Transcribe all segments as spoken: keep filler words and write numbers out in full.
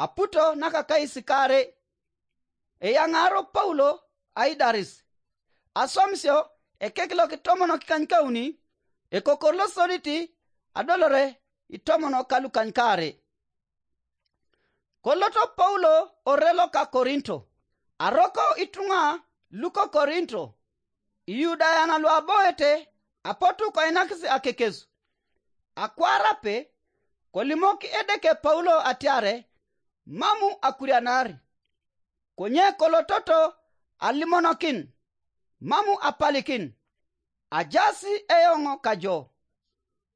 aputo nakakais kaarei. Eyaŋaaro Paulo aidaris. Aswamisio ekek lokitomonok ikanykauni, ekokor losodit adolore itomonok kalukanykaarei. Koloto Paulo ore loka Korinto. Aroko ituŋa luko Korinto, Iyudayan luaboete, apotu koinakis akekesu. Akwarape, kolimok Edeke Paulo atiare mamu akurianar. Konye kolototo alimonokin, mamu apalikin, ajasi eoŋ kajo,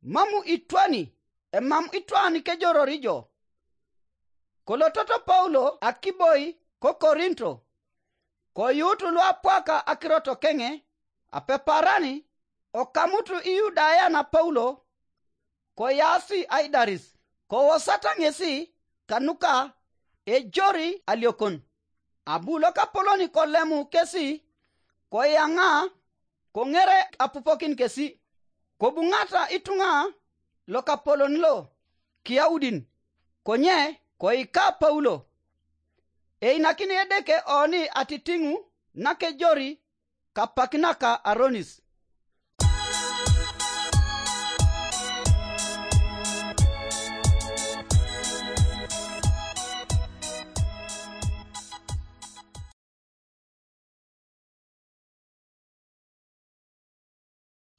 mamu itwani, emam itwan kejoror ijo. Kolototo Paulo akiboi ko Korinto, koyuut luapwaka akirot keŋe, apeparani, okamut Iyudayan Paulo, koyaasi aidaris, kowosata ŋesi kanuka ejori aliokon. Abu lokapolon kolemu kesi, koyaŋa, koŋere apupokin kesi. Kobuŋata ituŋa lokapolon lo Kiyaudin, konye koika Paulo. Einakin Edeke oni atitiŋu nakejori kapak naka aronis.